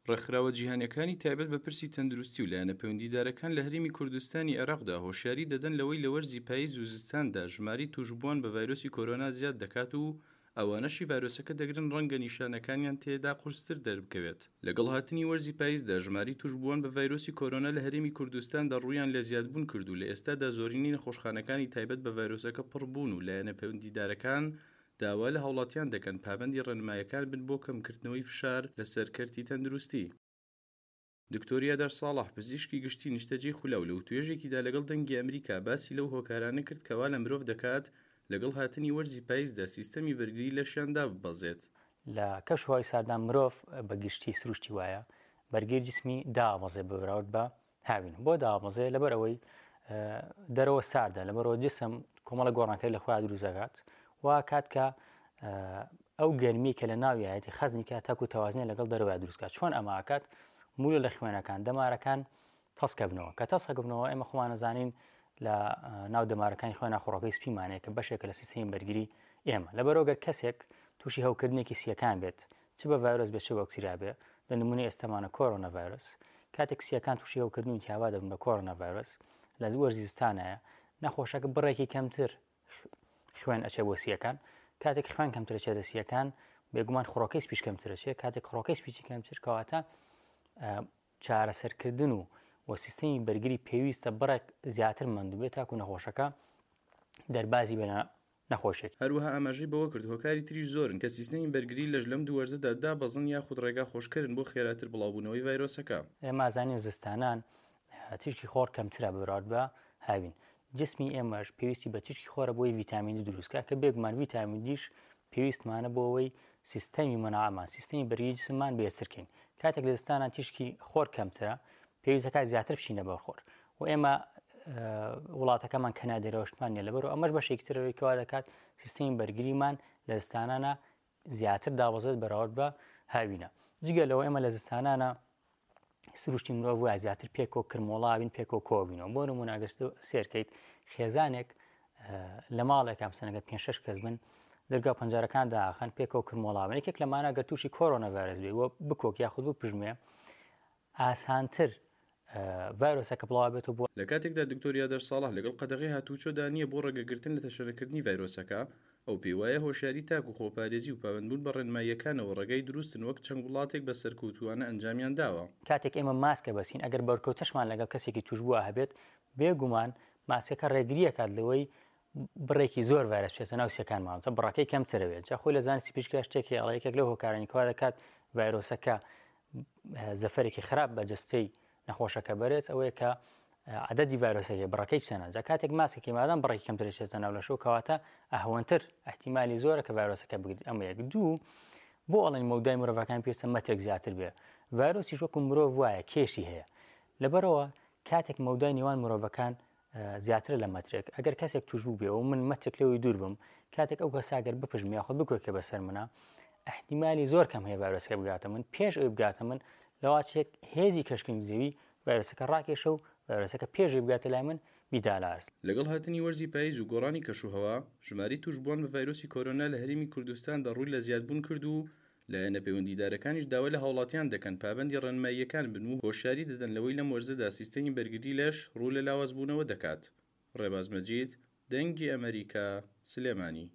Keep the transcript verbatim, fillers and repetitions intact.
ڕێکخراوە جیهانیەکانی تایبەت بە پرسی تەندروستی و لایەنە پەیوەندیدارەکان لە هەرێمی کوردستانی عێراقدا هۆشیاری دەدەن لەوەی لە وەرزی پاییز و زستاندا ژمارەی توشبووان بە ڤایرۆسی کۆرۆنا زیاد دەکات و ئەوانەشی ڤایرۆسەکە دەگرن ڕەنگە نیشانەکانیان تێدا قورستر دەربکەوێت. لەگەڵ هاتنی وەرزی پاییزدا ژمارەی توشبووان بە ڤایرۆسی کۆرۆنا لە هەرێمی کوردستاندا ڕوویان لە زیادبوون کرد و لە ئێستادا زۆرینەی نەخۆشخانەکانی تایبەت بە ڤایرۆسەکە پڕبوون و لایەنە پەیوەندیدارەکان داوا لە هاوڵاتیان دەکەن پابەندی ڕێنمایەکان بن بۆ کەمکردنەوەی فشار لەسەر کەرتی تەندروستی. دکتۆر یادار ساڵح پزیشکی گشتی نیشتەجێی خولاو لە وتوێژێکیدا لەگەڵ دەنگی ئەمریکا باسی لەو هۆکارانە کرد کەوا لە مرۆڤ دەکات لەگەڵ هاتنی وەرزی پاییزدا سیستەمی بەرگری لەشیان داببەزێت. لە کەشوهەوای ساردان مرۆڤ بە گشتی سروشتی وایە بەرگری جسمی دابەزێ بە بەراورد بە هاوین. بۆ دابەزێ؟ لەبەر ئەوەی دەرەوە ساردە، لەبەرەوە جسم کۆمەڵە گۆڕانکاری لە خۆیان دروست دەکات و کات کە ئەو گەرمی کە لە ناویایەتی خەزنی کات تاکو تەوازنە لەگەڵ دەرەوە دروست کات. چۆن ئەمە ئاکات؟ مولە لە خوێنەکان دەمارەکان تەسکە بنەوە. کە تەسکە بنەوە ئێمە خۆمان نەزانین لە ناو دەمارەکانی خوێنە خۆڕەکەی سپیمانەیە کە بەشێکە لە سیستەمی بەرگری ئێمە. لەبەرەوە گەر کەسێک تووشی هەوکردنێکی سیەکان بێت، چ بە ڤایرۆس بێت چ بە بەکتریا بێت، لە نمونەی ئێستامانە کۆرۆنا ڤایرۆس، کاتێک سیەکان تووشی هەوکردن و ئیلتیهابات دەبن بە کۆرۆنا ڤایرۆس لە وەرزی زستانایە نەخۆشەکە بڕێکی کەمتر خوێن ئەچێ بۆ سیەکان. کاتێک خوێن کەمتر ئەچێتە سیەکان بێگومان خڕۆکەی سپیش کەمتر ئەچێت. کاتێک خڕۆکەی سپیچی کەمتر کەواتە چارەسەرکردن و و سیستەمی بەرگری پێویستە بڕێک زیاتر مەندوو بێت تاکو نەخۆشەکە دەربازی بێنە نەخۆشێک. هەروەها ئاماژەی بەوە کرد هۆکاری تریش زۆرن کە سیستەمی بەرگری لەش لەم دوو وەرزەدا دابەزن یاخود ڕێگا خۆشکردن بۆ خێراتر بڵاوبوونەوەی ڤایرۆسەکە. ئێمە ئازانین زستانان تیشکی خۆر کەمترە بەراورد بە هاوین. جسمی ئێمەش پێویستی بە تیشکی خۆرە بۆی ڤیتامین دی دروست کات کە بێگومان ڤیتامین دیش پێویستمانە بۆ ئەوەی سیستەمی مەناعەمان سیستەمی بەرگری جسممان بێسرکەین. کاتێک لە زستانان تیشکی خۆر کەمترە پێویستەکە زیاتر بچینە بەر خۆر و ئێمە وڵاتەکەمان کەنادێرەوەشتمان نییە، لەبەرەوە ئەمەش بەشێکی ترەوەی کەوا دەکات سیستەمی بەرگریمان لە زستانانە زیاتر دابەزێت بەراورد بە هاوینە. جگە لەوە ئێمە لە زستانانە سروشتی مرۆڤ وایە زیاتر پێکەوە کرمۆڵاوین پێکەوە کۆبینەوە. بۆ نمونە ئەگەر سێرکەیت خێزانێک لە ماڵێک ئەمسەنەگە پێنج شەش کەس بن دەرگا پەنجەرەکان داخەن پێکەوە کرمۆڵاوین. یەکێک لەمانە ئەگەر تووشی کۆرۆنا ڤایرۆس بێ و بکۆک یاخود بپژمێ ئاسانتر ڤایرۆسەکە بڵاو بێتەوە بۆ. لە کاتێکدا دکتۆر یادار ساڵح لەگەڵ قەدەغەی هاتوچۆدا نییە بۆ ڕێگەگرتن لە تەشەنەکردنی ڤایرۆسەکە، ئەو پێی وایە هۆشیاری تاک و خۆپارێزی و پابەندبوون بە ڕێنماییەکانەوە ڕێگای دروستن وەک چەند وڵاتێک بە سەرکەوتووانە ئەنجامیان داوە. کاتێک ئێمە ماسکە بەسین ئەگەر بەرکەوتەشمان لەگەڵ کەسێکی توشبووە هەبێت بێگومان ماسکەکە ڕێگریەکات لەوەی بڕێکی زۆر ڤایرۆس بچێتە ناو سیەکانمان، تا بڕەکەی کەمترە بێت. جا خۆی لە زانستی پزیشکیدا شتێکی ئەڵێ یەکێک لەو هۆکارانی کەوا دەکات ڤایرۆسەکە زەفەرێکی خراپ بە جەستەی نەخۆشەکە بەرێت ئەوەیە کە عددی ڤایرۆسەکە بڕەکەی چەنە. جا کاتێک ماسکێکی مادام بڕێکی کەمتر چێتە ناو لەشەوە کەواتە ئەهوەنتر احتیمالی زۆرە کە ڤایرۆسەکە بگرێت. ئەمە یەک. دوو، بۆ ئەڵێن مەودای مرۆڤەکان پێویستە مەترێک زیاتر بێ. ڤایرۆسیش وەکو مرۆڤ وایە کێشی هەیە، لەبەرەوە کاتێک مەودای نێوان مرۆڤەکان زیاترە لە مەترێک، ئەگەر کەسێک توش بوو بێ و من مەترێک لەوەی دوور بم، کاتێک ئەو کەسە ئەگەر بپژم یاخود بکۆکێ بەسەر منە احتیمالی زۆر کەم هەیە ڤایرۆسەکە بگاتە من. پێش ئەوی بگاتە من لەواچێک هێزی کەشکردنی زەوی ڤایرۆسەکە ڕاکێشە و ڤایرۆسەکە پێشی بگاتە لای من بیدالاست. لەگەڵ هاتنی وەرزی پاییز و گۆڕانی کەشوهەوا ژمارەی توشبووان بە ڤایرۆسی کۆرۆنا لە هەرێمی کوردستاندا ڕووی لە زیادبوون کرد و لایەنە پەیوەندیدارەکانیش داوا لە هاوڵاتیان دەکەن پابەندی ڕێنماییەکان بن و هۆشیاری دەدەن لەوەی لەم وەرزەدا سیستەمی بەرگری لەش ڕوو لە لاوازبوونەوە دەکات. ڕێباز مەجید، دەنگی ئەمریکا، سلێمانی.